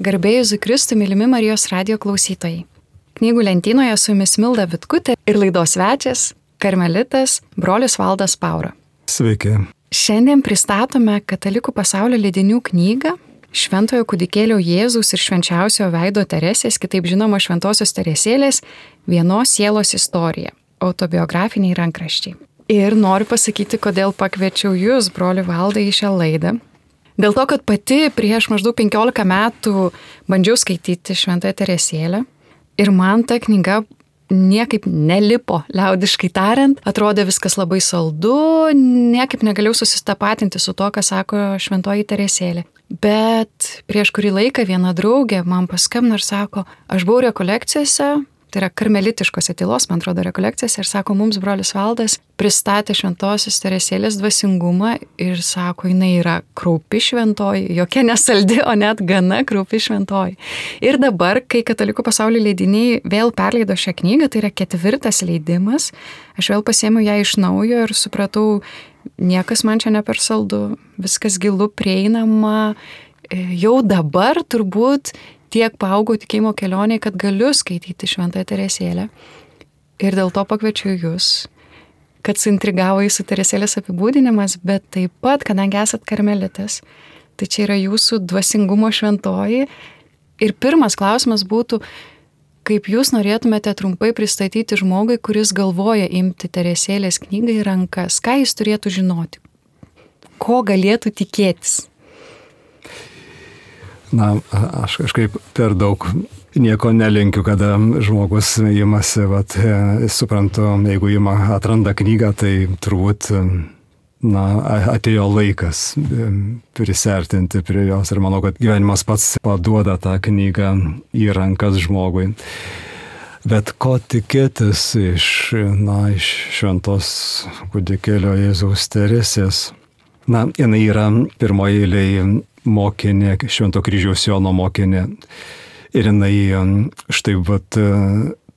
Garbė Jėzui Kristui, mylimi Marijos radijo klausytojai. Knygų lentynoje su jumis Milda Vitkutė ir laidos svečias, karmelitas, brolis Valdas Paura. Sveiki. Šiandien pristatome Katalikų pasaulio leidinių knygą Šventojo kūdikėlio Jėzaus ir švenčiausiojo veido Teresės, kitaip žinoma Šventosios Teresėlės, vienos sielos istorija, autobiografiniai rankraščiai. Ir noriu pasakyti, kodėl pakviečiau jūs, broli Valdai, į šią laidą. Dėl to, kad pati prieš maždaug 15 metų bandžiau skaityti Šventąją Teresėlę ir man ta knyga niekaip nelipo, liaudiškai tariant, atrodė viskas labai saldu, niekaip negalėjau susitapatinti su to, ką sako Šventoji Teresėlė. Bet prieš kurį laiką viena draugė man paskambino ir sako, aš buvau rekolekcijose, tai yra karmelitiškose tylos, man atrodo, rekolekcijose, ir sako, mums brolis Valdas pristatė Šventosios Teresėlės dvasingumą ir sako, jinai yra kraupi šventoji, jokia nesaldi, o net gana kraupi šventoji. Ir dabar, kai Katalikų pasaulio leidiniai vėl perleido šią knygą, tai yra 4. leidimas, aš vėl pasiėmiau ją iš naujo ir supratau, niekas man čia ne per saldu, viskas gilu, prieinama, jau dabar turbūt tiek paaugau tikėjimo kelionėje, kad galiu skaityti Šventąją Teresėlę. Ir dėl to pakviečiu jūs, kad suintrigavo jūsų Teresėlės apibūdinimas, bet taip pat, kadangi esat karmelitas, tai čia yra jūsų dvasingumo šventoji. Ir pirmas klausimas būtų, kaip jūs norėtumėte trumpai pristatyti žmogui, kuris galvoja imti Teresėlės knygą į rankas, ką jis turėtų žinoti, ko galėtų tikėtis? Na, aš kažkaip per daug nieko nelinkiu, kada žmogus imasi, suprantu, jeigu atranda knygą, tai turbūt, atėjo laikas prisertinti prie jos ir manau, kad gyvenimas pats paduoda tą knygą į rankas žmogui. Bet ko tikėtis iš Šventos kūdikėlio Jėzaus Teresės? Jinai yra pirmoje eilėje mokinė, Švento kryžiaus Jono mokinė. Ir jinai štai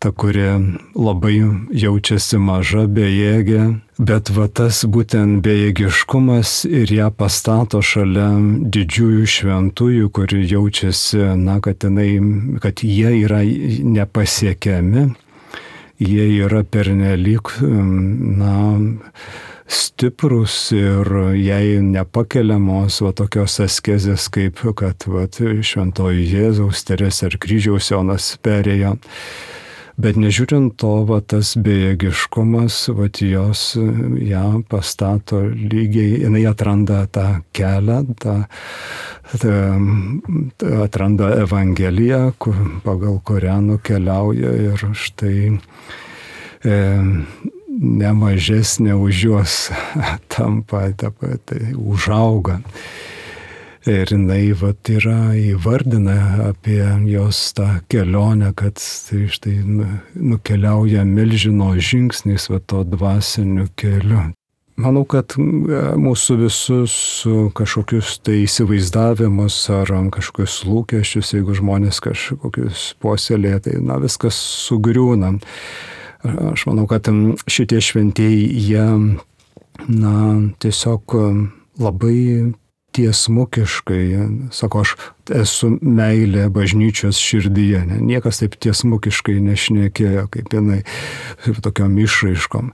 ta, kuri labai jaučiasi maža, bejėgė, bet tas būtent bejėgiškumas ir ją pastato šalia didžiųjų šventųjų, kuri jaučiasi, kad jie yra nepasiekiami, jie yra pernelyg, stiprus ir jai nepakeliamos tokios askezės, kaip kad Šventoji Jėzaus Teresė ar kryžiaus Jonas perėjo. Bet nežiūrint to, tas bejėgiškumas, jos ją pastato lygiai, jinai atranda tą kelią, atranda Evangeliją, pagal kurią nukeliauja ir štai nemažesnė už juos tampa, tai užauga. Ir jinai yra įvardina apie jos tą kelionę, kad tai štai nukeliauja milžino žingsniais to dvasiniu keliu. Manau, kad mūsų visus kažkokius tai įsivaizdavimus ar kažkokius lūkesčius, jeigu žmonės kažkokius puoselėja, tai viskas sugriūna. Aš manau, kad šitie šventieji, jie, tiesiog labai tiesmukiškai, sako, aš esu meilė bažnyčios širdyje. Niekas taip tiesmukiškai nešnekėjo, kaip jinai, tokiom išraiškom.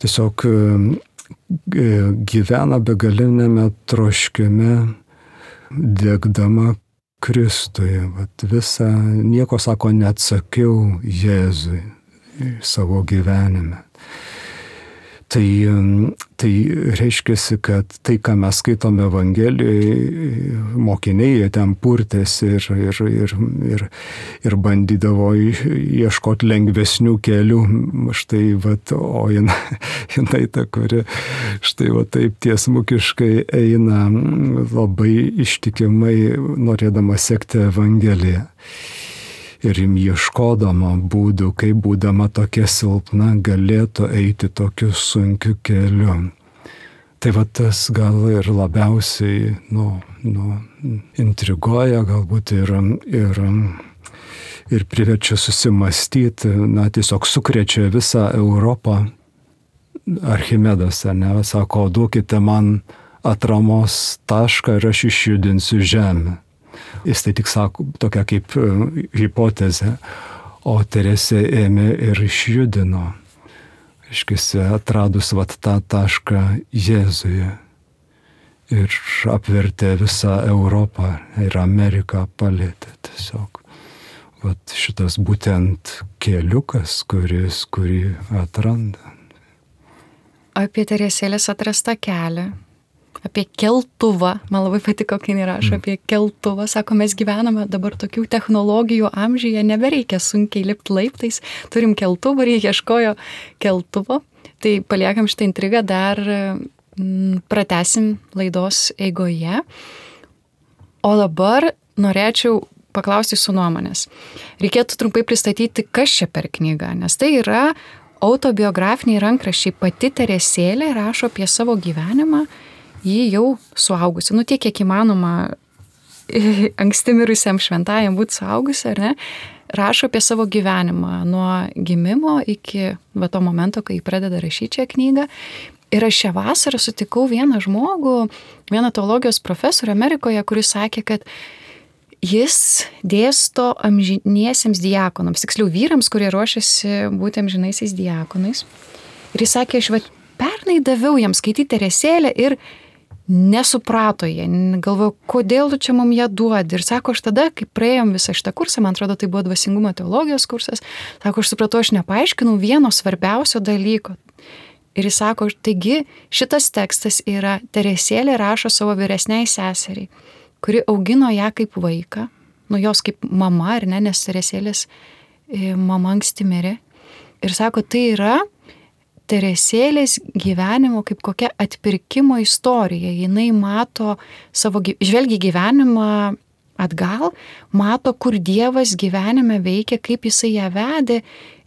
Tiesiog gyvena begalinėme troškime, degdama Kristuje. Visą, nieko, sako, neatsakiau Jėzui savo gyvenime. Tai reiškia, kad tai, ką mes skaitome Evangelijoje, mokiniai jie ten purtėsi ir bandydavo ieškoti lengvesnių kelių. Štai, o jinai ta, kuri štai taip tiesmukiškai eina labai ištikimai, norėdama sekti Evangeliją. Ir ieškodama būdų, kaip būdama tokia silpna, galėtų eiti tokiu sunkiu keliu. Tai tas gal ir labiausiai intriguoja, galbūt ir priverčia susimastyti, tiesiog sukrečia visą Europą. Archimedas, sako, duokite man atramos tašką ir aš išjudinsiu žemę. Jis tai tik sako tokia kaip hipotezė, o Teresė ėmė ir išjudino, reiškia, atradus vat tą tašką Jėzuje ir apvertė visą Europą ir Ameriką palėtė tiesiog. Vat šitas būtent keliukas, kurį atranda. Apie Teresėlės atrastą kelią, apie keltuvą, man labai patiko, kai jinai rašo apie keltuvą, sako, mes gyvename dabar tokių technologijų amžiuje, nebereikia sunkiai lipti laiptais, turim keltuvą ir jie ieškojo keltuvo, tai paliekam šitą intrigą, dar pratęsim laidos eigoje, o dabar norėčiau paklausti su nuomonės. Reikėtų trumpai pristatyti, kas čia per knygą, nes tai yra autobiografiniai rankraščiai. Pati Teresėlė rašo apie savo gyvenimą, ji jau suaugusi, tiek kiek įmanoma anksti mirusiam šventajam būti suaugusi, ar ne? Rašo apie savo gyvenimą nuo gimimo iki to momento, kai pradeda rašyti šią knygą. Ir aš šią vasarą sutikau vieną žmogų, vieną teologijos profesorių Amerikoje, kuris sakė, kad jis dėsto amžiniesiems diakonams, tiksliau vyrams, kurie ruošiasi būti amžinaisiais diakonais. Ir jis sakė, aš pernai daviau jiems skaityti Teresėlę ir nesuprato jie, galvojau, kodėl tu čia mum ją duodi. Ir sako, aš tada, kai praėjom visą šitą kursą, man atrodo, tai buvo dvasingumo teologijos kursas, sako, aš supratau, aš nepaaiškinau vieno svarbiausio dalyko. Ir jis sako, taigi šitas tekstas yra Teresėlė rašo savo vyresniai seseriai, kuri augino ją kaip vaiką, jos kaip mama, ar ne, nes Teresėlės mama anksti mirė. Ir sako, tai yra Teresėlės gyvenimo kaip kokia atpirkimo istorija. Jinai mato žvelgia gyvenimą atgal, mato, kur Dievas gyvenime veikia, kaip jisai ją vedė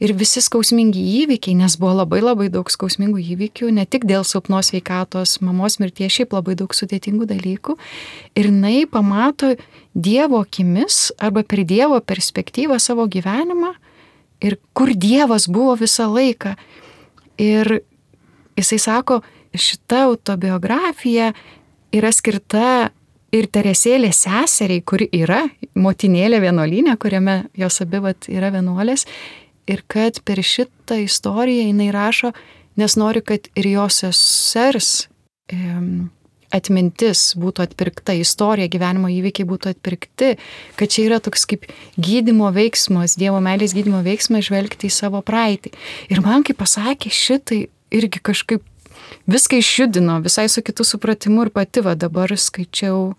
ir visi skausmingi įvykiai, nes buvo labai labai daug skausmingų įvykių, ne tik dėl silpnos sveikatos, mamos mirties, šiaip labai daug sudėtingų dalykų. Ir jinai pamato Dievo akimis arba per Dievo perspektyvą savo gyvenimą ir kur Dievas buvo visą laiką. Ir jisai sako, šita autobiografija yra skirta ir Teresėlės seseriai, kuri yra motinėlė vienuolyne, kuriame jos abi yra vienuolės, ir kad per šitą istoriją jinai rašo, nes nori, kad ir jos sesers atmintis būtų atpirkta, istorija, gyvenimo įvykiai būtų atpirkti, kad čia yra toks kaip gydymo veiksmas, Dievo meilės gydymo veiksmas žvelgti į savo praeitį. Ir man, kai pasakė šitai, irgi kažkaip viską išjudino, visai su kitu supratimu ir pati dabar skaičiau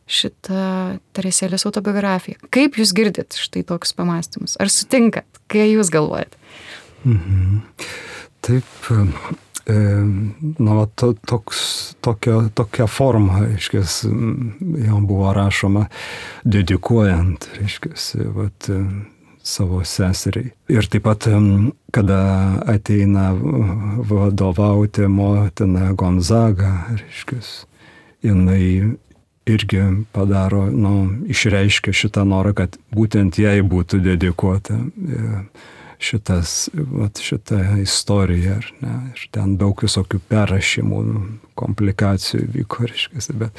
šitą Teresėlės autobiografiją. Kaip jūs girdit štai toks pamąstymus? Ar sutinkat? Kai jūs galvojat? Taip, tokia forma, reiškias, jau buvo rašoma dedikuojant, reiškias, savo seseriai. Ir taip pat, kada ateina vadovauti motina Gonzaga, reiškias, jinai irgi padaro, išreiškia šitą norą, kad būtent jai būtų dedikuota šita istorija, ar ne? Ir ten daug visokių perrašymų, komplikacijų vyko, reiškia, bet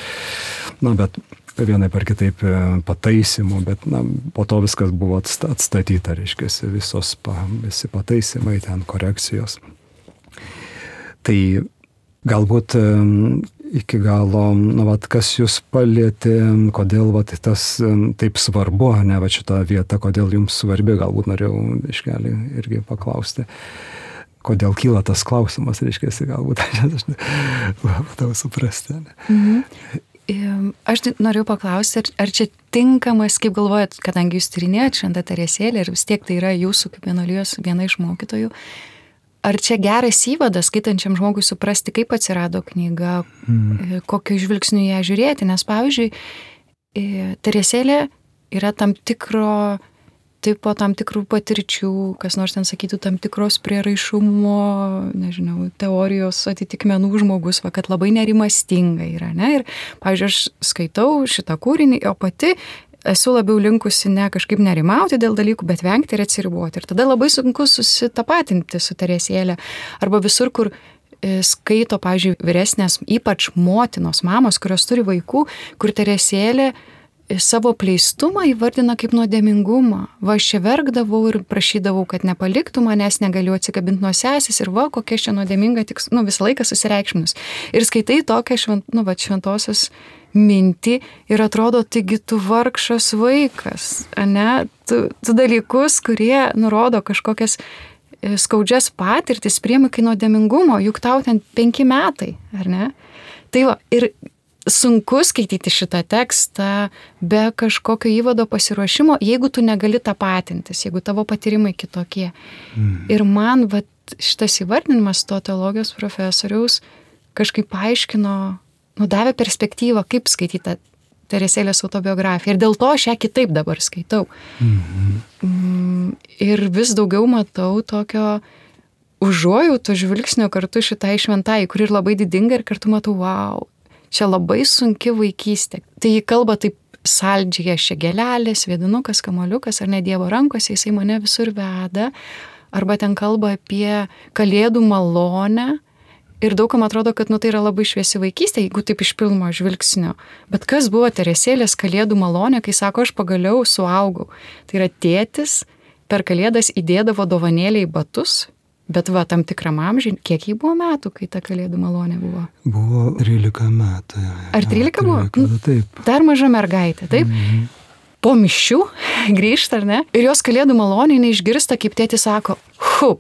vienaip ar kitaip pataisimų, bet po to viskas buvo atstatyta, reiškia, visi pataisimai, ten korekcijos. Tai galbūt iki galo, kas jūs palietė, kodėl tas taip svarbu, ne šita vieta, kodėl jums svarbi, galbūt norėjau iškelį irgi paklausti. Kodėl kyla tas klausimas, reiškia, galbūt aš tau suprasti. Aš norėjau paklausti, ar čia tinkamas, kaip galvojat, kadangi jūs tyrinėjat Šventą Teresėlę ir vis tiek tai yra jūsų kaip vienuolijos viena iš mokytojų, ar čia geras įvadas skaitančiam žmogui suprasti, kaip atsirado knyga, kokiu žvilgsniu ją žiūrėti, nes pavyzdžiui, Teresėlė yra tam tikro tipo, tam tikrų patirčių, kas nors ten sakytų, tam tikros prieraišumo, nežinau, teorijos atitikmenų žmogus, kad labai nerimastinga yra, ne? Ir, pavyzdžiui, aš skaitau šitą kūrinį, o pati esu labiau linkusi ne kažkaip nerimauti dėl dalykų, bet vengti ir atsiriboti. Ir tada labai sunku susitapatinti su Teresėle. Arba visur, kur skaito, pavyzdžiui, vyresnės, ypač motinos, mamos, kurios turi vaikų, kur Teresėlė savo pleistumą įvardina kaip nuodėmingumą. Va, aš čia verkdavau ir prašydavau, kad nepaliktų manęs, negaliu atsikabinti nuo sesės ir va, kokia čia nuodėminga, tik, visą laiką susireikšminus. Ir skaitai tokią šventosios mintį ir atrodo, taigi tu vargšas vaikas, ne? Tu dalykus, kurie nurodo kažkokias skaudžias patirtis priemi kai nuodėmingumo, juk tau ten 5 metai, ar ne? Tai va, ir sunku skaityti šitą tekstą be kažkokio įvado pasiruošimo, jeigu tu negali tapatintis, jeigu tavo patyrimai kitokie. Ir man šitas įvardinimas to teologijos profesoriaus kažkaip paaiškino, davė perspektyvą, kaip skaityti Teresėlės autobiografiją. Ir dėl to aš ją kitaip dabar skaitau. Ir vis daugiau matau tokio užuojauto žvilgsnio kartu šitai šventai, kuri ir labai didinga ir kartu matau, wow, čia labai sunki vaikystė. Tai jį kalba taip saldžiai, aš čia gėlelės, vėdinukas, kamoliukas, ar ne Dievo rankose, jisai mane visur veda. Arba ten kalba apie kalėdų malonę. Ir daugam atrodo, kad tai yra labai šviesi vaikystė, jeigu taip iš pirmo žvilgsnio. Bet kas buvo Teresėlės kalėdų malonė, kai sako, aš pagaliau suaugau. Tai yra tėtis per kalėdas įdėdavo dovanėlę į batus. Bet tam tikram amžiui, kiek jį buvo metų, kai ta kalėdų malonė buvo? Buvo 13 metų. Ar 13 buvo? 13, taip. Dar maža mergaitė, taip? Po mišių grįžta, ar ne? Ir jos kalėdų malonė neišgirsta, kaip tėtis sako,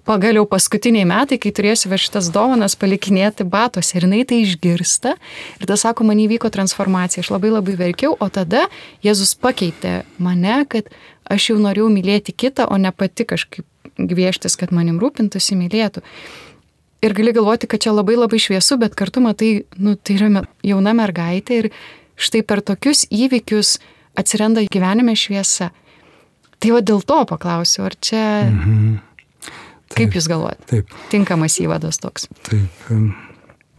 pagaliau paskutiniai metai, kai turėsiu šitas dovanas palikinėti batuose. Ir jinai tai išgirsta. Ir tas sako, man įvyko transformacija. Aš labai labai verkiau, o tada Jėzus pakeitė mane, kad aš jau norėjau mylėti kitą, o ne pati kažkaip gvieštis, kad manim rūpintųsi, mylėtų. Ir gali galvoti, kad čia labai labai šviesu, bet kartu matai, tai yra jauna mergaitė ir štai per tokius įvykius atsiranda gyvenime šviesa. Tai dėl to paklausiu, ar čia, kaip jūs galvojate? Taip. Tinkamas įvadas toks. Taip.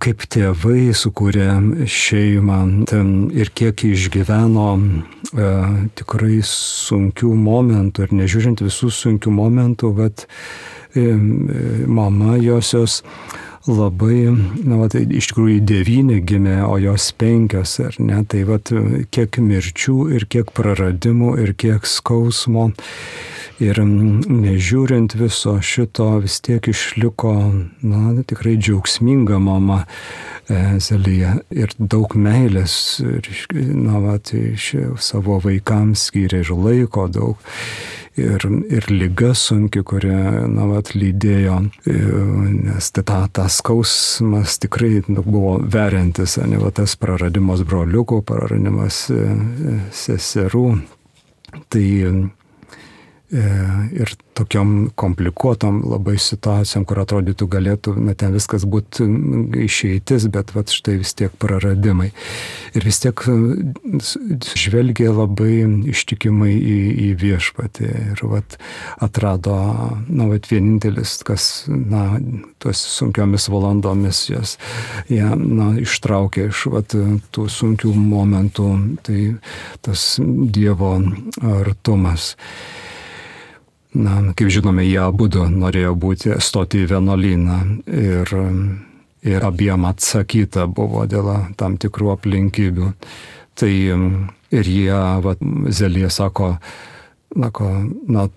Kaip tėvai sukūrė šeimą ir kiek išgyveno tikrai sunkių momentų ir nežiūrint visų sunkių momentų, mama josios labai, iš tikrųjų 9 gimė, o jos 5, ar ne, tai kiek mirčių ir kiek praradimų ir kiek skausmo. Ir nežiūrint viso šito, vis tiek išliko, tikrai džiaugsminga mama Zelija. Ir daug meilės, savo vaikams skyrė ir laiko daug. Ir liga sunki, kurią, lydėjo, nes tas skausmas tikrai buvo veriantis, tas praradimas broliukų, praradimas seserų. Tai ir tokiom komplikuotom labai situacijom, kur atrodytų galėtų, ten viskas būtų išeitis, bet štai vis tiek praradimai. Ir vis tiek žvelgė labai ištikimai į viešpatį ir atrado, vienintelis, kas, tuos sunkiomis valandomis jas ištraukė iš tų sunkių momentų, tai tas Dievo artumas. Kaip žinome, jie abudu norėjo stoti į vienuolyną ir abiem atsakyta buvo dėl tam tikrų aplinkybių. Tai ir jie, Zelija sako,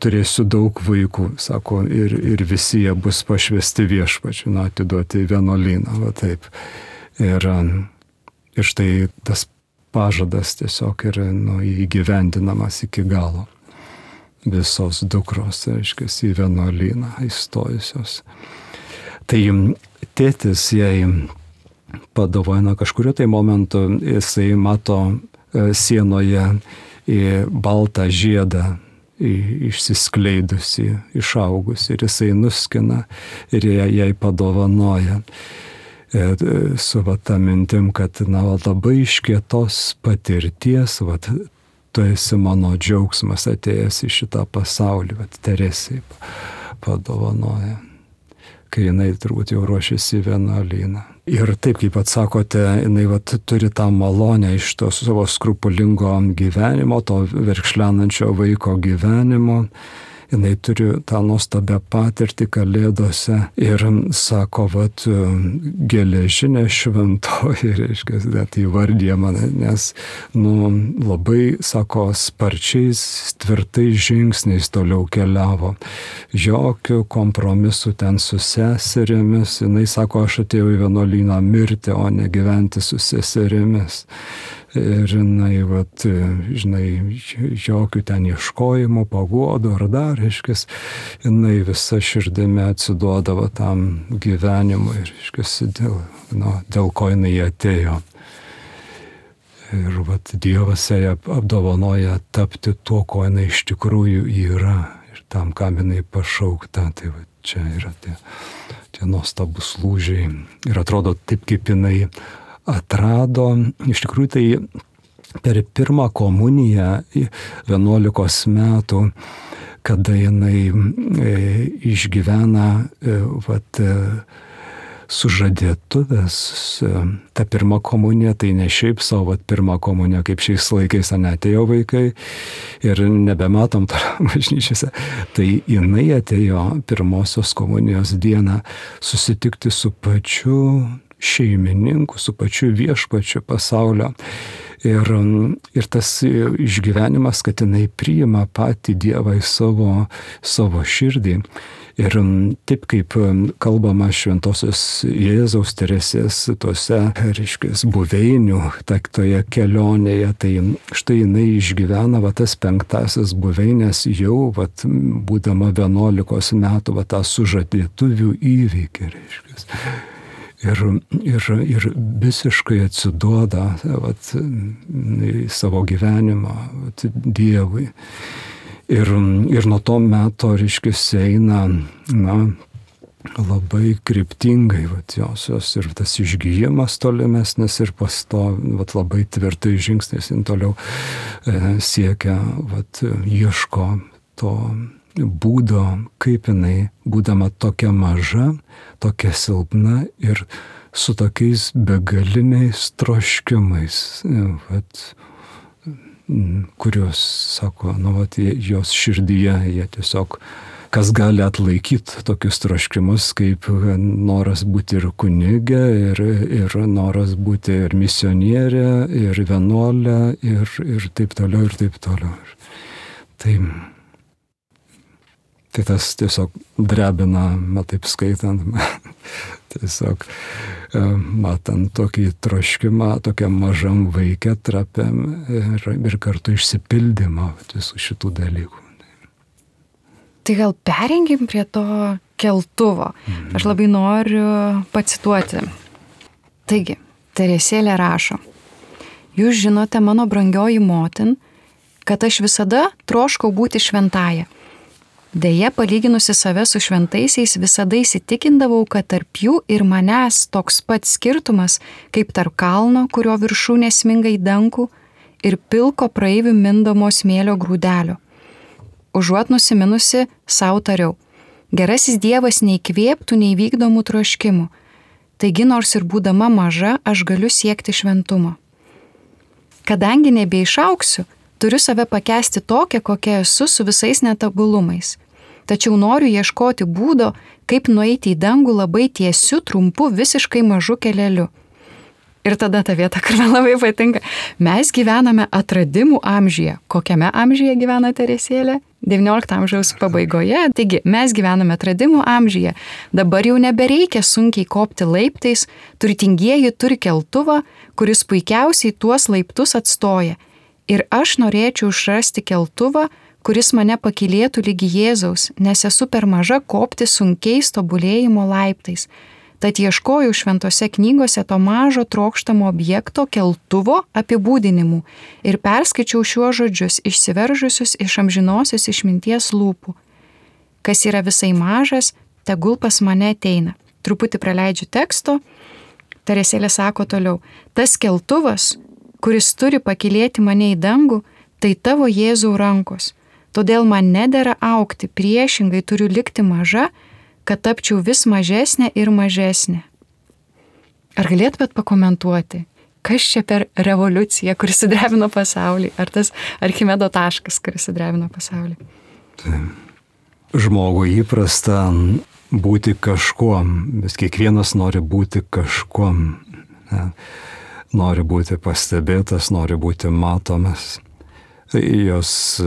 turėsiu daug vaikų, sako, ir visi jie bus pašvesti viešpačiu, atiduoti į vienuolyną, taip. Ir štai tas pažadas tiesiog yra įgyvendinamas iki galo. Visos dukros, reiškia, į vienuolyną įstojusios. Tai tėtis jai padovanojo kažkurio tai momentu, jisai mato sienoje baltą žiedą išsiskleidusi, išaugusi, ir jisai nuskina ir jai padovanoja. Su ta mintim, kad labai iš kietos patirties, tu esi mano džiaugsmas atėjęs į šitą pasaulį, Teresei padovanoja, kai jinai turbūt jau ruošiasi į vienuolyną. Ir taip, kaip atsakote, jinai turi tą malonę iš to savo skrupulingo gyvenimo, to verkšlenančio vaiko gyvenimo, jinai turi tą nuostabią patirtį Kalėdose ir sako, vat, geležinė šventoji, reiškia, net įvardyja mane, nes, labai, sako, sparčiais, tvirtais žingsniais toliau keliavo. Jokių kompromisų ten su seserėmis. Jinai sako, aš atėjau į vienuolyną mirti, o ne gyventi su seserėmis. Ir jinai, vat, žinai, jokių ten ieškojimų, paguodų ar dar, reiškia, jinai visa širdimi atsiduodavo tam gyvenimui, reiškia, dėl ko jinai atėjo. Ir vat, Dievas ją apdovanoja tapti tuo, ko jinai iš tikrųjų yra ir tam, kam jinai pašaukta. Tai vat, čia yra tie nuostabus lūžiai. Ir atrodo taip, kaip jinai atrado, iš tikrųjų tai per pirmą komuniją 11 metų, kada jinai išgyvena vat, sužadėtuvės, ta pirma komunija, tai ne šiaip savo, pirma komunija, kaip šiais laikais atėjo vaikai ir nebematom bažnyčiose, tai jinai atėjo pirmosios komunijos dieną susitikti su pačiu šeimininku, su pačiu viešpačiu pasaulio. Ir tas išgyvenimas, kad jinai priima patį Dievą į savo širdį. Ir taip kaip kalbama šventosios Jėzaus Teresės tose, reiškia, buveinių, toje kelionėje, tai štai jinai išgyvena tas 5 buveinės jau, būdama 11 metų, tą sužadėtuvių įvykį, reiškia. Ir visiškai atsiduoda savo gyvenimą Dievui. Ir nuo to meto, reiškia, eina, labai kryptingai josios ir tas išgijimas tolimesnis ir labai tvirtai žingsnis toliau siekia, ieško to būdo, kaip jinai, būdama tokia maža, tokia silpna ir su tokiais begaliniais troškimais, kurios, sako, jos širdyje, jie tiesiog, kas gali atlaikyti tokius troškimus, kaip noras būti ir kunigė, ir noras būti ir misionierė, ir vienuolė, ir taip toliau, ir taip toliau. Tai tas tiesiog drebina, taip skaitant, tiesiog matant tokį troškimą, tokiam mažam vaikė trapiam ir kartu išsipildymą visų šitų dalykų. Tai gal pereinkim prie to keltuvo. Aš labai noriu pacituoti. Taigi, Teresėlė rašo: Jūs žinote, mano brangioji motin, kad aš visada troškau būti šventąja. Deja, palyginusi save su šventaisiais, visada įsitikindavau, kad tarp jų ir manęs toks pat skirtumas, kaip tarp kalno, kurio viršūnė sminga į dangų, ir pilko praeivių mindamo smėlio grūdelio. Užuot nusiminusi, sau tariau: gerasis Dievas neįkvėptų neįvykdomų troškimų. Taigi, nors ir būdama maža, aš galiu siekti šventumo. Kadangi nebeišauksiu, turiu save pakęsti tokią, kokia esu, su visais netobulumais. Tačiau noriu ieškoti būdo, kaip nueiti į dangų labai tiesiu, trumpu, visiškai mažu keleliu. Ir tada ta vieta, kur man labai patinka. Mes gyvename atradimų amžiuje. Kokiame amžiuje gyvena Teresėlė? 19 amžiaus pabaigoje. Taigi, mes gyvename atradimų amžiuje. Dabar jau nebereikia sunkiai kopti laiptais, turtingieji turi keltuvą, kuris puikiausiai tuos laiptus atstoja. Ir aš norėčiau išrasti keltuvą, kuris mane pakylėtų lygi Jėzaus, nes esu per maža kopti sunkiais tobulėjimo laiptais. Tad ieškojau šventose knygose to mažo trokštamo objekto keltuvo apibūdinimų ir perskaičiau šiuos žodžius, išsiveržusius iš amžinosios išminties lūpų. Kas yra visai mažas, tegul pas mane ateina. Truputį praleidžiu teksto. Teresėlė sako toliau: tas keltuvas, kuris turi pakylėti mane į dangų, tai tavo Jėzau rankos. Todėl man nedera augti, priešingai turiu likti maža, kad tapčiau vis mažesnė ir mažesnė. Ar galėtumėt pakomentuoti, kas čia per revoliucija, kuris sudrebino pasaulį? Ar tas Archimedo taškas, kuris sudrebino pasaulį? žmogui įprasta būti kažkuom, vis kiekvienas nori būti kažkuom, nori būti pastebėtas, nori būti matomas. Jos,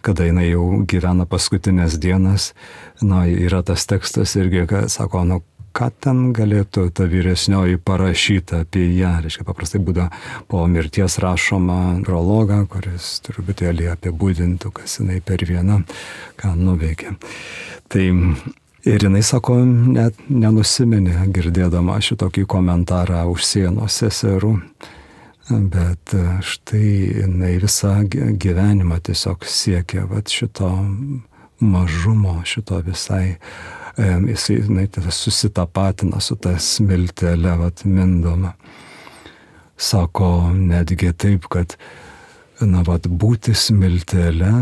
kada jinai jau gyvena paskutinės dienas, yra tas tekstas irgi, kad sako, ką ten galėtų ta vyresnioji parašyti apie ją. Reiškia, paprastai būda po mirties rašoma prologą, kuris truputėlį apibūdintų, kas jinai per vieną, ką nuveikė. Tai ir jinai sako, net nenusiminė girdėdama šitokį komentarą už sienos seserų, bet štai jinai visą gyvenimą tiesiog siekia šito mažumo, šito visai, jinai susitapatina su ta smiltele, mindoma. Sako netgi taip, kad būti smiltele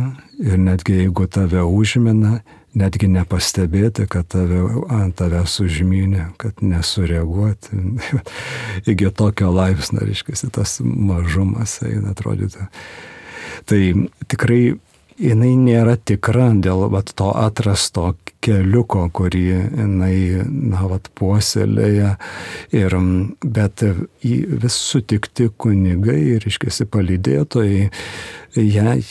ir netgi jeigu tave užmina, netgi nepastebėti, kad tave užmynė, kad nesureaguoti. Iki tokio laipsnio, reiškia, tas mažumas eina atrodyti. Tai tikrai jinai nėra tikra dėl to atrasto keliuko, kurį jinai puoselėja. Bet vis sutikti kunigai, reiškia, palydėtojai, jai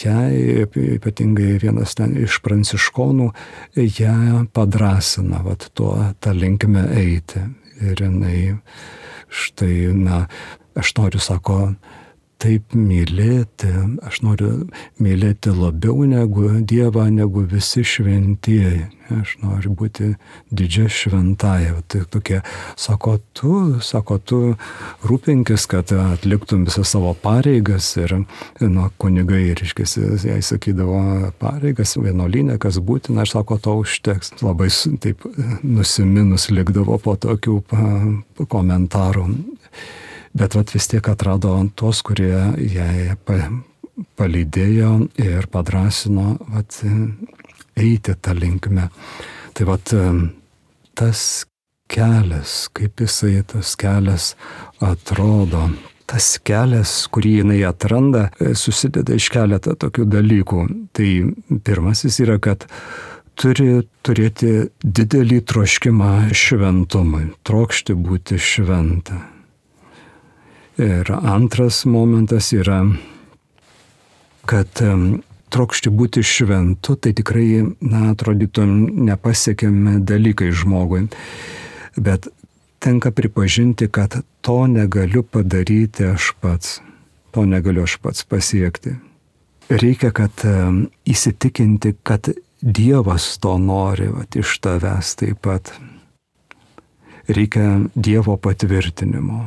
ypatingai vienas ten iš pranciškonų, ją padrasina tą linkme eiti. Ir jinai štai, aš noriu, sako, taip mylėti, aš noriu mylėti labiau negu Dievą, negu visi šventieji. Aš noriu būti didžia šventaja. Tai tokie, sako, tu rūpinkis, kad atliktum visas savo pareigas. Ir kunigai, reiškia, jai sakydavo pareigas, vienuolyne, kas būtina, aš sako, to užteks. Labai taip nusiminus likdavo po tokių komentarų. Bet vis tiek atrado tos, kurie jai palydėjo ir padrasino eiti tą linkmę. Tai tas kelias, kaip jisai tas kelias atrodo, tas kelias, kurį jinai atranda, susideda iš keletą tokių dalykų. Tai pirmasis yra, kad turi turėti didelį troškimą šventumui, trokšti būti šventą. Ir antras momentas yra, kad trokšti būti šventu, tai tikrai, atrodytų, nepasiekiami dalykai žmogui. Bet tenka pripažinti, kad to negaliu padaryti aš pats. To negaliu aš pats pasiekti. Reikia, kad įsitikinti, kad Dievas to nori iš tavęs taip pat. Reikia Dievo patvirtinimo,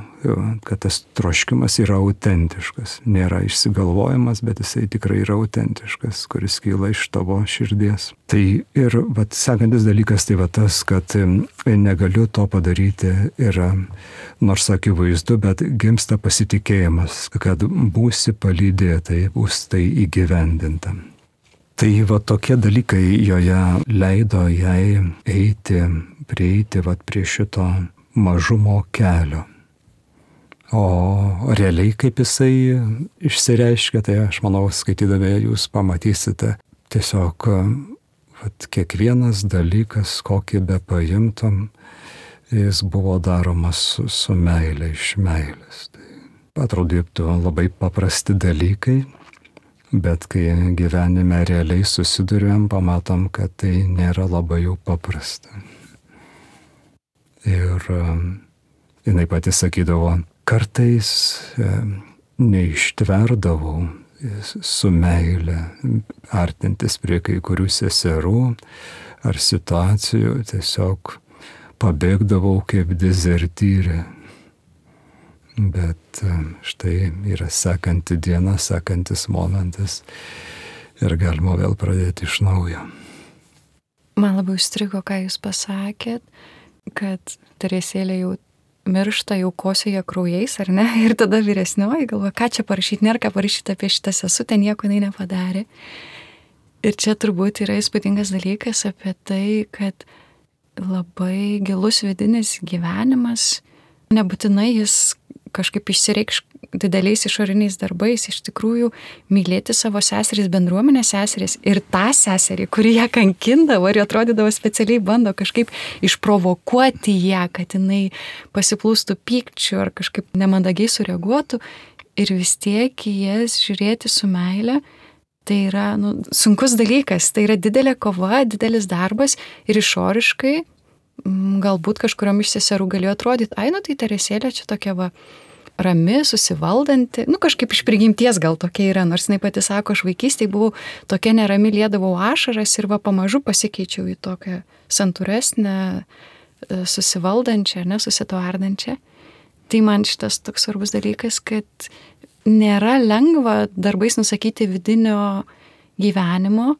kad tas troškimas yra autentiškas. Nėra išsigalvojimas, bet jisai tikrai yra autentiškas, kuris kyla iš tavo širdies. Tai ir sekantis dalykas tai tas, kad negaliu to padaryti ir nors akivaizdu, bet gimsta pasitikėjimas, kad būsi palydėtai, bus tai įgyvendinta. Tai tokie dalykai joje leido jai prieiti prie šito mažumo kelio. O realiai kaip jisai išsireiškia, tai aš manau, skaitydami jūs pamatysite, tiesiog kiekvienas dalykas, kokį be paimtum, jis buvo daromas su meilė, iš meilės. Tai atrodytų labai paprasti dalykai, bet kai gyvenime realiai susiduriam, pamatom, kad tai nėra labai jau paprasta. Ir jinai pati sakydavo, kartais neištverdavau su meile artintis prie kai kurių seserų ar situacijų, tiesiog pabėgdavau kaip dezertyrė. Bet štai yra sekanti diena, sekantis momentas ir galima vėl pradėti iš naujo. Man labai užstrigo, ką jūs pasakėt, kad Teresėlė jau miršta, jau kosėja kraujais, ar ne? Ir tada vyresnioji galvoja, ką čia parašyti, nėra ką parašyti apie šitą sesutę, nieko jinai nepadarė. Ir čia turbūt yra įspūdingas dalykas apie tai, kad labai gilus vidinis gyvenimas, nebūtinai jis kažkaip išsireikš dideliais išoriniais darbais, iš tikrųjų mylėti savo seseris, bendruomenės seseris ir tą seserį, kuri ją kankindavo ir atrodydavo specialiai bando kažkaip išprovokuoti ją, kad jinai pasiplūstų pykčiu ar kažkaip nemandagiai sureaguotų ir vis tiek į jas žiūrėti su meile. Tai yra sunkus dalykas, tai yra didelė kova, didelis darbas ir išoriškai galbūt kažkuriom iš seserų galėjo atrodyti, tai Teresėlė čia tokia rami, susivaldanti, kažkaip iš prigimties gal tokia yra, nors jinai pati sako, aš vaikystėje buvau tokia nerami, liedavau ašaras ir pamažu pasikeičiau į tokią santūresnę, susivaldančią, nesusitvardančią. Tai man šitas toks svarbus dalykas, kad nėra lengva darbais nusakyti vidinio gyvenimo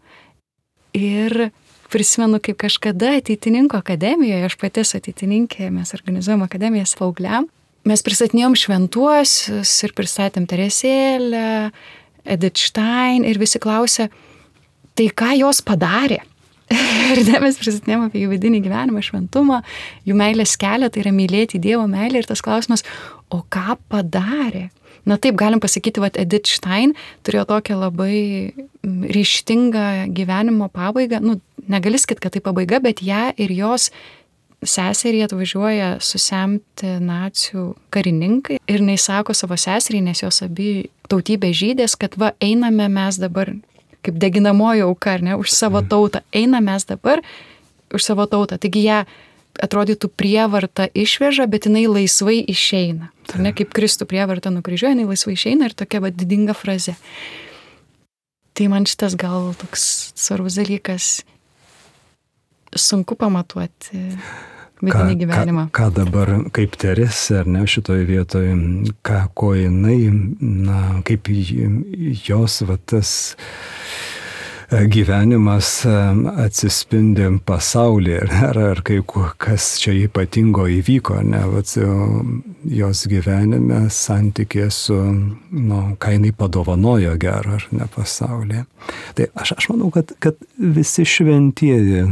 ir prisimenu, kaip kažkada ateitininkų akademijoje, aš pati esu ateitininkė, mes organizuojam akademijas paaugliam, mes pristatinėjom šventuosius ir pristatėm Teresėlę, Edith Stein ir visi klausė, tai ką jos padarė? Ir mes pristatinėjom apie jų vidinį gyvenimą, šventumą, jų meilės kelią, tai yra mylėti Dievo meilę ir tas klausimas, o ką padarė? Taip galim pasakyti, Edith Stein turėjo tokią labai ryžtingą gyvenimo pabaigą, negali sakyti, kad tai pabaiga, bet ją ir jos seserį atvažiuoja susemti nacių karininkai ir jinai sako savo seserį, nes jos abi tautybė žydės, kad einame mes dabar, kaip deginamoji auka, už savo tautą, einame mes dabar už savo tautą. Taigi ją atrodytų prievarta išveža, bet jinai laisvai išeina. Kaip Kristų prievarta nukryžiuoja, jinai laisvai išeina ir tokia didinga frazė. Tai man šitas gal toks svarbus dalykas, sunku pamatuoti vidinį gyvenimą. Ką dabar, kaip Teresė, šitoje vietoje, ko jinai, kaip jos tas gyvenimas atsispindi pasaulyje, ar kas čia ypatingo įvyko, jos gyvenime santykė su, ką jinai padovanojo gero, ar ne pasaulyje. Tai aš manau, kad visi šventieji,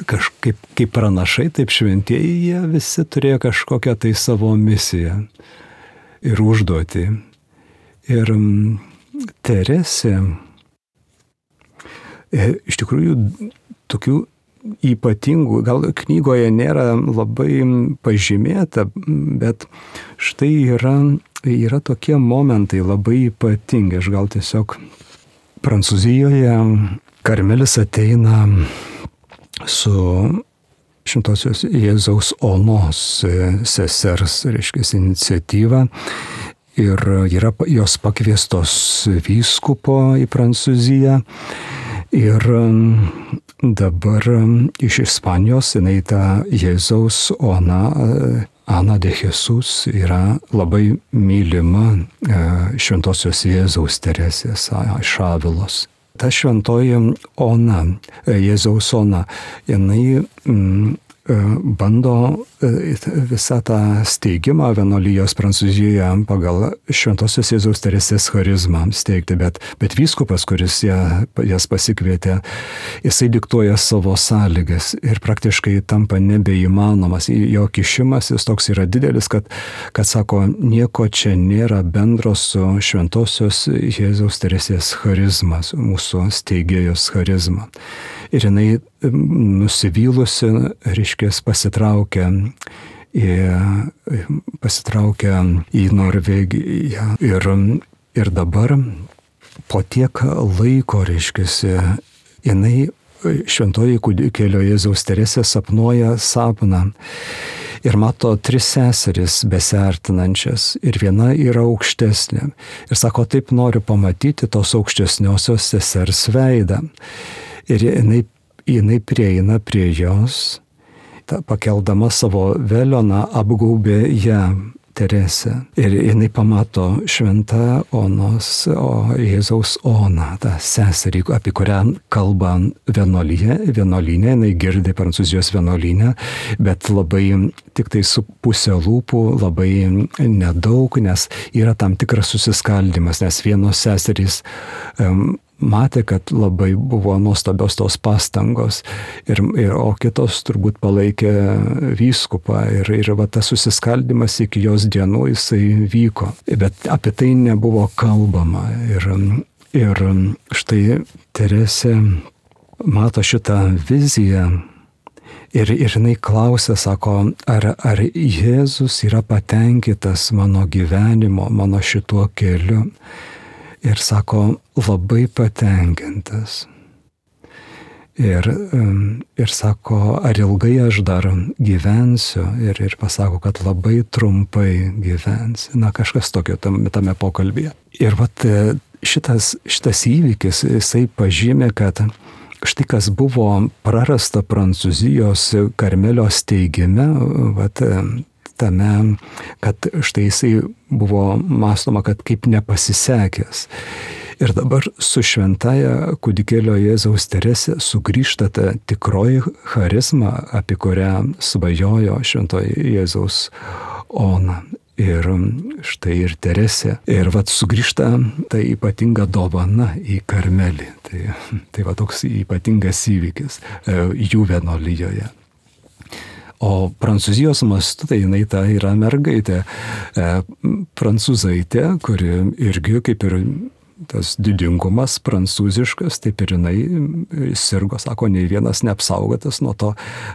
kaip pranašai, taip šventieji, jie visi turėjo kažkokią tai savo misiją ir užduotį. Ir Teresė, iš tikrųjų, tokių ypatingų, gal knygoje nėra labai pažymėta, bet štai yra tokie momentai labai ypatingi. Aš gal tiesiog Prancūzijoje Karmelis ateina su Šventosios Jėzaus Onos sesers, iniciatyva. Ir yra jos pakviestos vyskupo į Prancūziją. Ir dabar iš Ispanijos jinai ta Jėzaus Ona, Ana de Jesus, yra labai mylima Šventosios Jėzaus Teresės iš Avilos. Ta šventoji Ona, Jėzaus Ona, jinai bando visą tą steigimą vienuolijos Prancūzijoje pagal Šventosios Jėzaus Teresės charizmą steigti, bet vyskupas, kuris jas pasikvietė, jisai diktuoja savo sąlygas ir praktiškai tampa nebeįmanomas. Jo kišimasis toks yra didelis, kad sako, nieko čia nėra bendro su Šventosios Jėzaus Teresės charizma, mūsų steigėjos charizma. Ir jinai nusivylusi, reiškės, pasitraukia į Norvegiją. Ir dabar po tiek laiko, reiškės, jinai šventoji kūdikėlio Jėzaus Teresė sapnuoja sapną. Ir mato 3 seseris besiartinančias ir viena yra aukštesnė. Ir sako, taip noriu pamatyti tos aukštesniosios sesers veidą. Ir jinai prieina prie jos, pakeldama savo velioną, apgaubė ją Teresę. Ir jinai pamato šventą Jėzaus Oną, tą seserį, apie kurią kalba vienuolyne, jinai girdi Prancūzijos vienuolyne, bet labai tik tai su pusė lūpų, labai nedaug, nes yra tam tikras susiskaldimas, nes vienos seserys matė, kad labai buvo nuostabios tos pastangos, o kitos turbūt palaikė vyskupą ir va tas susiskaldimas iki jos dienų jisai vyko, bet apie tai nebuvo kalbama ir štai Teresė mato šitą viziją ir jinai klausia, sako, ar Jėzus yra patenkintas mano gyvenimo, mano šituo keliu. Ir sako, labai patenkintas. Ir sako, ar ilgai aš dar gyvensiu. Ir pasako, kad labai trumpai gyvensiu. Na, kažkas tokio tame pokalbėje. Ir vat šitas įvykis, jisai pažymė, kad štai kas buvo prarasta Prancūzijos Karmelio steigime, vat tame, kad štai jisai buvo mąstoma, kad kaip nepasisekęs. Ir dabar su šventaja kūdikėlio Jėzaus Teresė sugrįžta ta tikroji charizma, apie kurią svajojo šventoji Jėzaus Ona. Ir štai ir Teresė. Ir vat sugrįžta ta ypatinga dovana į Karmelį. Tai va toks ypatingas įvykis jų vienuolijoje. O Prancūzijos mastu, tai jinai ta yra mergaitė, prancūzaitė, kuri irgi kaip ir tas didingumas prancūziškas, taip ir jinai sirgo, sako, nei vienas neapsaugotas nuo to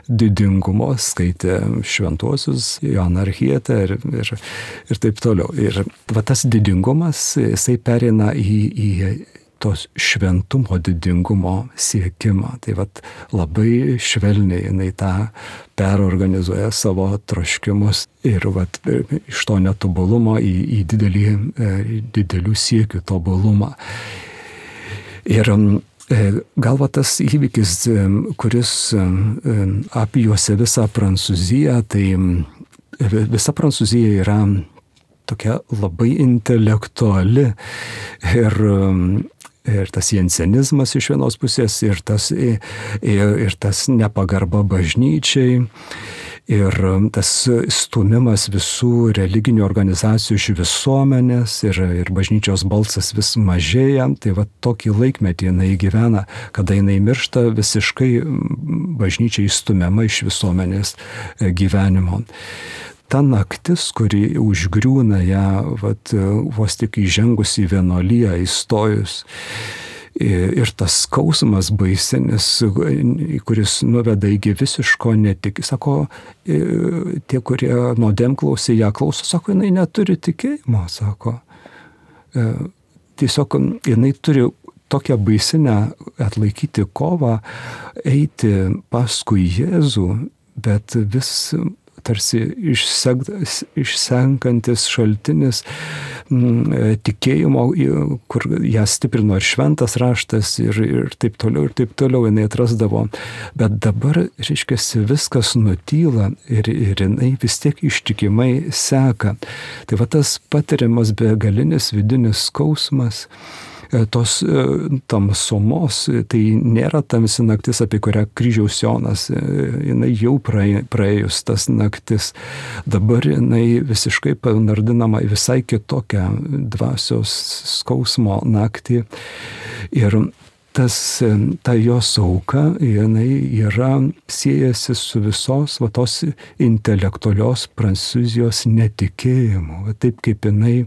didingumo, skaitė šventuosius, Joaną Archietę ir taip toliau. Ir va tas didingumas, jisai pereina į tos šventumo didingumo siekimą. Tai vat labai švelniai jinai tą perorganizuoja savo troškimus ir vat iš to netobulumo į didelių siekių tobulumą. Ir gal va tas įvykis, kuris apjuosia visą Prancūziją, tai visa Prancūzija yra tokia labai intelektuali ir tas jensenizmas iš vienos pusės, ir tas nepagarba bažnyčiai, ir tas stumimas visų religinių organizacijų iš visuomenės, ir bažnyčios balsas vis mažėja. Tai va tokį laikmetį jinai gyvena, kada jinai miršta, visiškai bažnyčiai stumiama iš visuomenės gyvenimo. Ta naktis, kuri užgriūna ją, vat, vos tik įžengus į vienuoliją, įstojus, ir tas skausmas baisinis, kuris nuveda iki visiško sako, tie, kurie nuodėmklausė ją klauso, sako, jinai neturi tikėjimo, sako. Tiesiog jinai turi tokią baisinę atlaikyti kovą, eiti paskui Jėzų, bet vis tarsi išsenkantis šaltinis tikėjimo, kur ją stiprino ir šventas raštas ir taip toliau jinai atrasdavo. Bet dabar, reiškia, viskas nutyla ir jinai vis tiek ištikimai seka. Tai va tas patiriamas begalinis vidinis skausmas, tos tamsumos, tai nėra tamsi naktis, apie kurią kryžiaus Jonas, jinai jau praėjus tas naktis. Dabar jinai visiškai panardinama į visai kitokią dvasios skausmo naktį. Ir ta jos auka, jinai yra siejasi su visos va tos intelektualios Prancūzijos netikėjimu. Va taip kaip jinai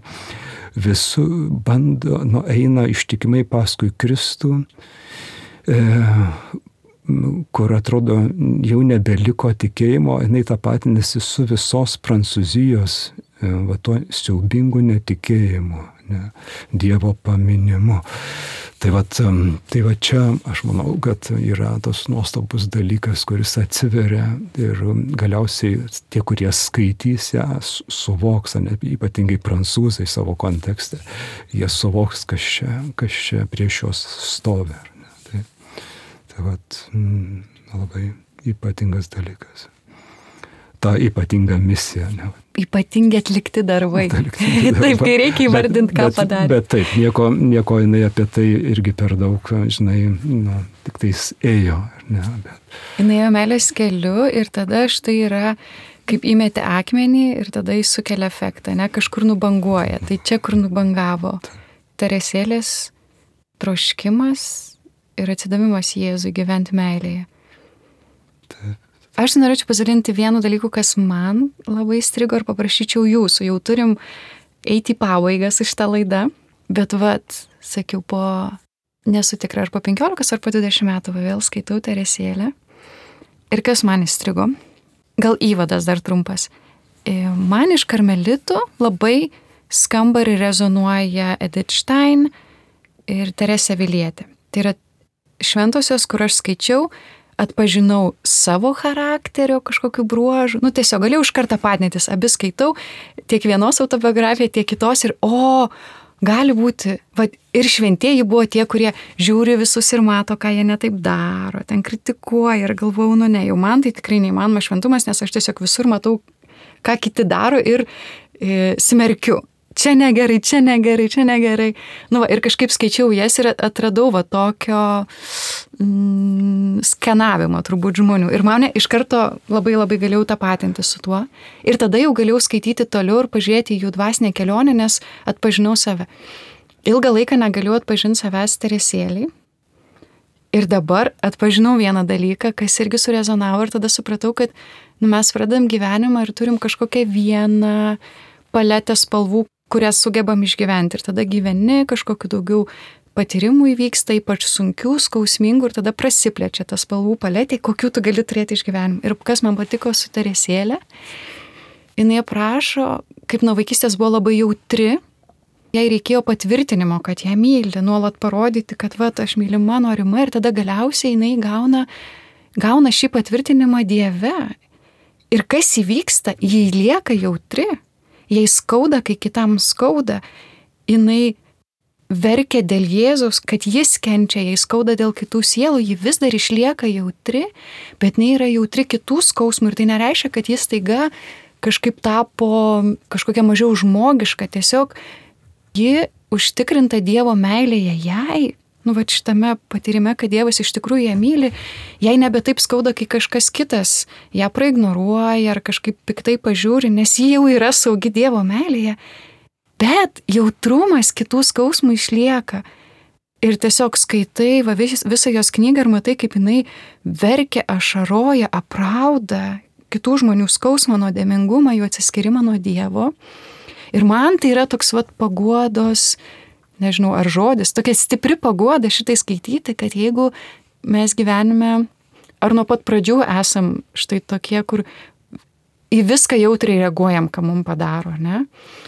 visų bando, eina ištikimai paskui Kristų, kur atrodo jau nebeliko tikėjimo, jinai tapatinasi su visos Prancūzijos va to siaubingu netikėjimu, Dievo paminimu. Tai va čia aš manau, kad yra tas nuostabus dalykas, kuris atsiveria ir galiausiai tie, kurie skaitys ją, suvoks, ypatingai prancūzai savo kontekste, jie suvoks, kas čia prieš juos stovi. Tai va, labai ypatingas dalykas. Ta ypatinga misija. Ypatingi atlikti darbai. Taip, kai reikia įvardinti, ką padarė. Bet taip, nieko jinai apie tai irgi per daug, žinai, tik tais ėjo. Jinai ėjo meilės keliu ir tada štai yra, kaip įmetė akmenį ir tada jis sukelia efektą, kažkur nubanguoja. Tai čia, kur nubangavo Teresėlės troškimas ir atsidavimas Jėzui gyventi meilėje. Taip. Aš norėčiau pasidalinti vienu dalyku, kas man labai strigo ir paprašyčiau jūsų. Jau turim eiti į pabaigą su šitą laidą, bet sakiau, nesu tikra, ar po 15 ar po 20 metų vėl skaitau Teresėlę. Ir kas man įstrigo? Gal įvadas dar trumpas. Man iš karmelitų labai skamba ir rezonuoja Edith Stein ir Teresė Avilietė. Tai yra šventosios, kur aš skaičiau, atpažinau savo charakterio kažkokių bruožų. Tiesiog galėjau iš karto patnetis, abi skaitau, tiek vienos autobiografiją, tiek kitos ir gali būti, ir šventieji buvo tie, kurie žiūri visus ir mato, ką jie netaip daro, ten kritikuoja ir galvojau, ne, jau man tai tikrai neįmanoma šventumas, nes aš tiesiog visur matau, ką kiti daro ir smerkiu. Čia negerai, čia negerai, čia negerai. Ir kažkaip skaičiau jas ir atradau tokio skenavimo turbūt žmonių. Ir mane iš karto labai labai galėjau tapatinti su tuo. Ir tada jau galėjau skaityti toliau ir pažiūrėti jų dvasinę kelionę, nes atpažinau save. Ilgą laiką negalėjau atpažinti savęs Teresėlei. Ir dabar atpažinau vieną dalyką, kas irgi surezonavo ir tada supratau, kad mes pradedam gyvenimą ir turim kažkokią vieną paletę spalvų, kurias sugebam išgyventi. Ir tada gyveni, kažkokiu daugiau patyrimų įvyksta, ypač sunkių, skausmingų, ir tada prasiplečia tas spalvų paletė, kokių tu gali turėti išgyvenimą. Ir kas man patiko su Teresėle, jinai aprašo, kaip nuo vaikystės buvo labai jautri, jai reikėjo patvirtinimo, kad ją myli, nuolat parodyti, kad aš mylima, norima, ir tada galiausiai jinai gauna šį patvirtinimą Dieve. Ir kas įvyksta, jai lieka jautri. Jai skauda, kai kitam skauda, jinai verkia dėl Jėzaus, kad jis kenčia, jai skauda dėl kitų sielų, ji vis dar išlieka jautri, bet jinai yra jautri kitų skausmų ir tai nereiškia, kad jis staiga kažkaip tapo kažkokia mažiau žmogiška, tiesiog ji užtikrinta Dievo meilėje jai, šitame patyrime, kad Dievas iš tikrųjų ją myli, jai nebe taip skauda, kai kažkas kitas ją praignoruoja ar kažkaip piktai pažiūri, nes ji jau yra saugi Dievo meilėje, bet jautrumas kitų skausmų išlieka. Ir tiesiog skaitai visą jos knygą ir matai, kaip jinai verkia, ašaroja, aprauda kitų žmonių skausmą, nuodėmingumą, jų atsiskyrimą nuo Dievo. Ir man tai yra toks paguodos, nežinau, ar žodis, tokia stipri paguoda šitai skaityti, kad jeigu mes gyvenime, ar nuo pat pradžių esam štai tokie, kur į viską jautriai reaguojam, ką mums padaro, ne?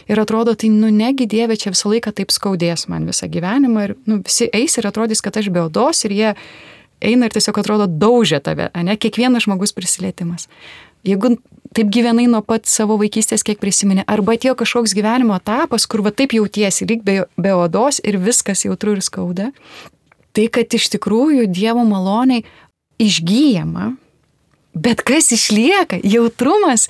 Ir atrodo, tai negi Dieve, čia visą laiką taip skaudės man visą gyvenimą ir visi eis ir atrodys, kad aš be odos ir jie eina ir tiesiog atrodo daužia tave, ne? Kiekvienas žmogus prisilietimas. Jeigu taip gyvenai nuo pat savo vaikystės, kiek prisiminė, arba atėjo kažkoks gyvenimo etapas, kur taip jautiesi, lyg be odos ir viskas jautru ir skauda, tai kad iš tikrųjų Dievo maloniai išgyjama, bet kas išlieka, jautrumas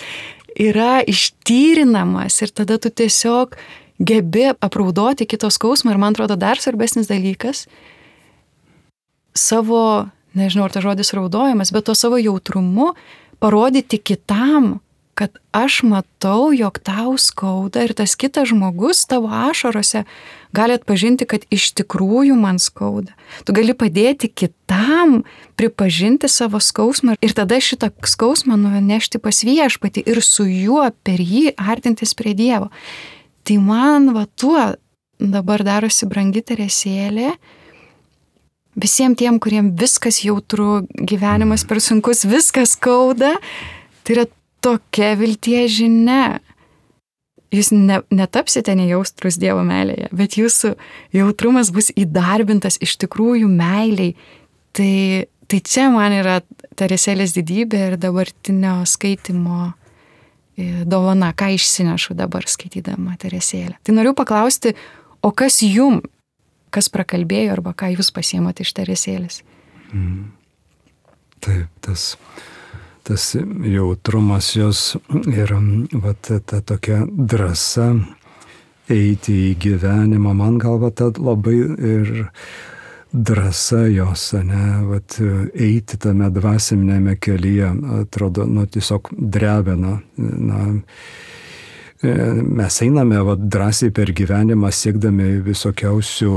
yra ištyrinamas ir tada tu tiesiog gebi apraudoti kito skausmą ir man atrodo dar svarbesnis dalykas, savo, nežinau, ar ta žodis raudojimas, bet to savo jautrumu parodyti kitam, kad aš matau, jog tau skauda ir tas kitas žmogus tavo ašarose gali atpažinti, kad iš tikrųjų man skauda. Tu gali padėti kitam pripažinti savo skausmą ir tada šitą skausmą nunešti pas Viešpatį ir su juo per jį artintis prie Dievo. Tai man tuo dabar darosi brangi Teresėlė. Visiems tiem, kuriem viskas jautru, gyvenimas per sunkus, viskas skauda, tai yra tokia vilties žinia. Jūs netapsite nejaustrus Dievo meilėje, bet jūsų jautrumas bus įdarbintas iš tikrųjų meiliai. Tai čia man yra Teresėlės didybė ir dabartinio skaitimo dovana, ką išsinešu dabar skaitydama Teresėlę. Tai noriu paklausti, o kas jum, kas prakalbėjo arba ką jūs pasiėmate iš Teresėlės? Taip, tas jautrumas jos ir ta tokia drąsa eiti į gyvenimą, man galva, ta labai ir drąsa jos, eiti tame dvasinėme kelyje, atrodo, tiesiog drebina. mes einame drąsiai per gyvenimą siekdami visokiausių,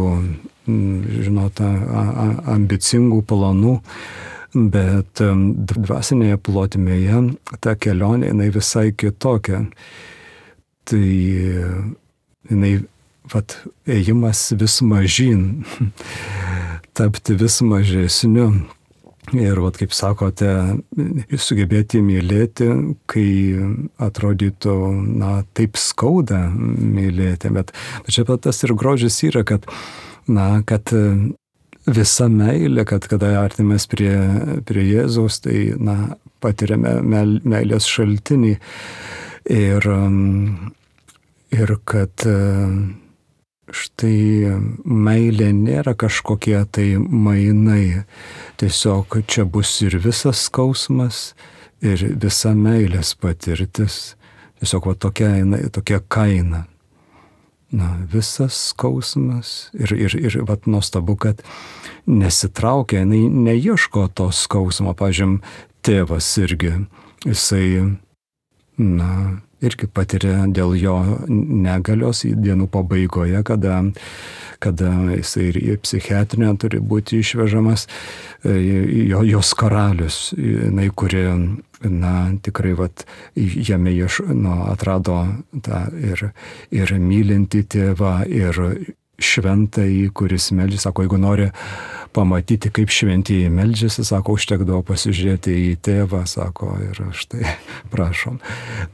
ambicingų planų, bet dvasinėje plotmėje ta kelionė, jinai visai kitokia. Tai jinai, ėjimas vis mažyn, tapti vis mažesniu. Ir kaip sakote, sugebėti mylėti, kai atrodytų, taip skauda mylėti. Bet čia tas ir grožis yra, kad visa meilė, kad kada artimės prie Jėzaus, tai patiriame meilės šaltinį. Ir kad štai meilė nėra kažkokie tai mainai. Tiesiog čia bus ir visas skausmas, ir visa meilės patirtis. Tiesiog tokia kaina. Visas skausmas ir nuostabu, kad nesitraukia, neieško to skausmo. Pavyzdžiui, tėvas irgi, jisai, irgi patiria dėl jo negalios dienų pabaigoje, kada jisai ir į psichiatrinę turi būti išvežamas, jos karalius, kuri, tikrai jame atrado tą ir mylinti tėvą, ir šventąjį, kuris meldžiasi. Sako, jeigu nori pamatyti, kaip šventieji meldžiasi, sako, užtekdavo pasižiūrėti į tėvą, sako, ir štai, prašom.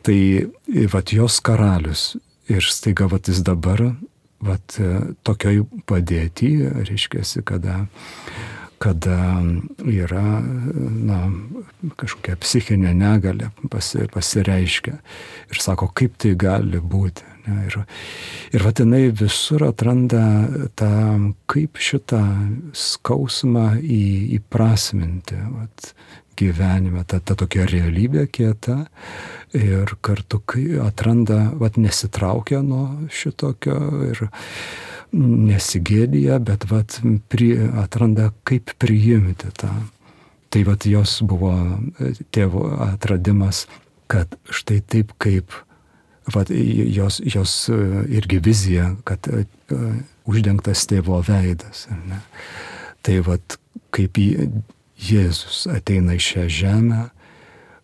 Tai jos karalius, ir staiga jis dabar tokioj padėty, reiškiasi, kada yra kažkokia psichinė negalia pasireiškia. Ir sako, kaip tai gali būti. Ir jinai visur atranda kaip šitą skausmą įprasminti gyvenime, ta tokia realybė kieta, ir kartu atranda, nesitraukia nuo šitokio ir nesigėdija, bet atranda, kaip priimti tą. Tai jos buvo tėvo atradimas, kad štai taip kaip jos irgi vizija, kad uždengtas tėvo veidas. Ne? Tai kaip Jėzus ateina į šią žemę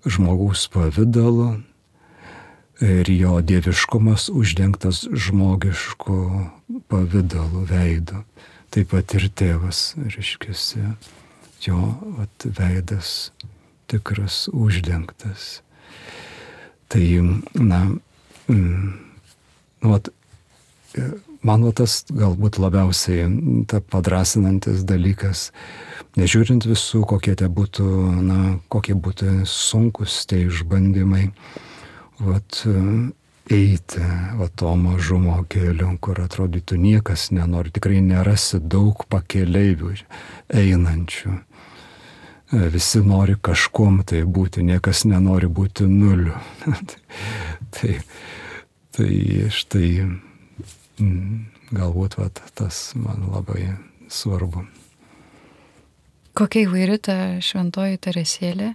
žmogaus pavidalu, ir jo dieviškumas uždengtas žmogišku pavidalu, veidu. Taip pat ir tėvas, reiškiasi, jo veidas tikras uždengtas. Tai, man tas galbūt labiausiai padrasinantis dalykas, nežiūrint visų, kokie būtų sunkus tie išbandymai, eiti to mažumo keliu, kur atrodytų niekas nenori, tikrai nerasi daug pakeleivių einančių. Visi nori kažkuom tai būti, niekas nenori būti nuliu. Tai štai galbūt tas man labai svarbu. Kokia įvairi ta šventoji Teresėlė.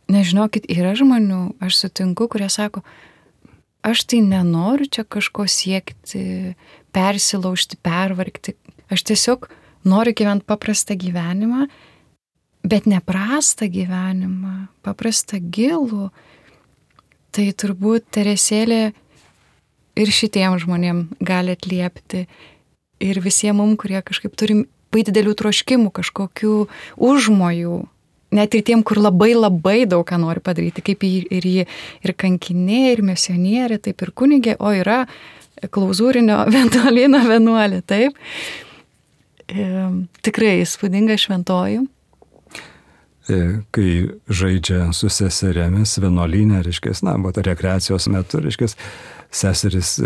Nežinokit, yra žmonių, aš sutinku, kurie sako, aš tai nenoriu čia kažko siekti, persilaužti, pervargti. Aš tiesiog noriu gyventi paprastą gyvenimą, bet ne prastą gyvenimą, paprastą gilų. Tai turbūt Teresėlė ir šitiem žmonėm gali atliepti. Ir visiems mums, kurie kažkaip turim didelių troškimų, kažkokių užmojų. Net ir tiem, kur labai labai daug ką nori padaryti, kaip ir kankinė, ir misionierė, taip ir kunigė, o yra klauzūrinio vienuolyno vienuolė, taip. Tikrai įspūdinga šventoji. Kai žaidžia su seserėmis vienuolyne, reiškia, rekreacijos metu, reiškia, seseris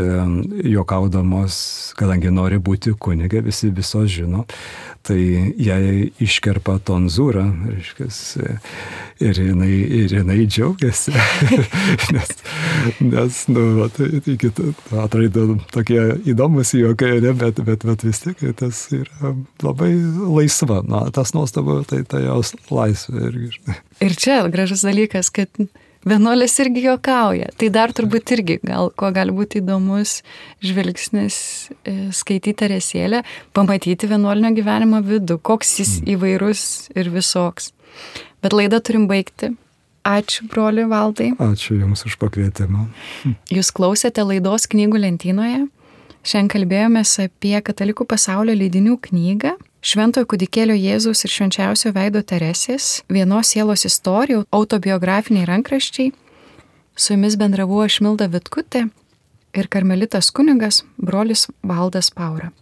juokaudamos, kadangi nori būti kunigė, visi visos žino, tai jai iškerpa tonzūrą, reiškia, ir jinai džiaugiasi, nes atrodo tokie įdomus juokai, bet vis tiek tas yra labai laisva, tas nuostabu, tai jos laisvė irgi. Ir čia gražus dalykas, kad Vienuolės irgi juokauja. Tai dar turbūt irgi, ko gali būti įdomus žvilgsnis skaityti Teresėlę, pamatyti vienuolinio gyvenimo vidų, koks jis įvairus ir visoks. Bet laidą turim baigti. Ačiū, broli Valdai. Ačiū Jums už pakvietimą. Jūs klausėte laidos Knygų lentynoje. Šiandien kalbėjomės apie Katalikų pasaulio leidinių knygą Šventojo kūdikėlio Jėzaus ir švenčiausio veido Teresės, Vienos sielos istorijų, autobiografiniai rankraščiai. Su jumis bendravau aš Milda Vitkutė ir karmelitas kunigas brolis Valdas Paura.